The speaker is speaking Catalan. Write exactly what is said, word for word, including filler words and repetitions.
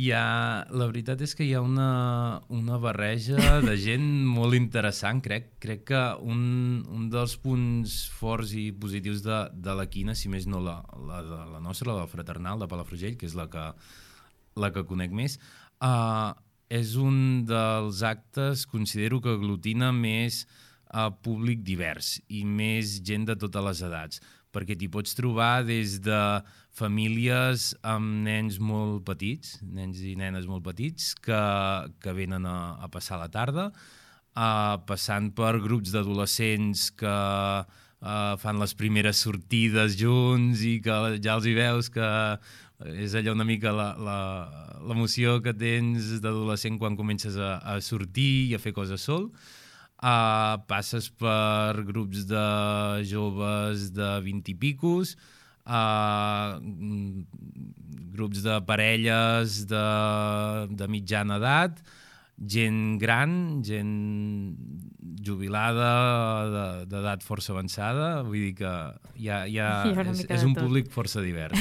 Hi ha, la veritat és que hi ha una, una barreja de gent molt interessant, crec. Crec que un, un dels punts forts i positius de, de la quina, si més no la, la, de la nostra, la del Fraternal, de Palafrugell, que és la que, la que conec més, uh, és un dels actes, considero que aglutina més uh, públic divers i més gent de totes les edats, perquè t'hi pots trobar des de famílies amb nens molt petits, nens i nenes molt petits, que, que venen a, a passar la tarda, uh, passant per grups d'adolescents que uh, fan les primeres sortides junts i que ja els hi veus que és allò una mica l'emoció que tens d'adolescent quan comences a, a sortir i a fer coses sol. Uh, passes per grups de joves de vint i picos, uh, grups de parelles de, de mitjana edat, gent gran, gent jubilada, d'edat força avançada, vull dir que hi ha, hi ha, hi ha és, és un públic força divers.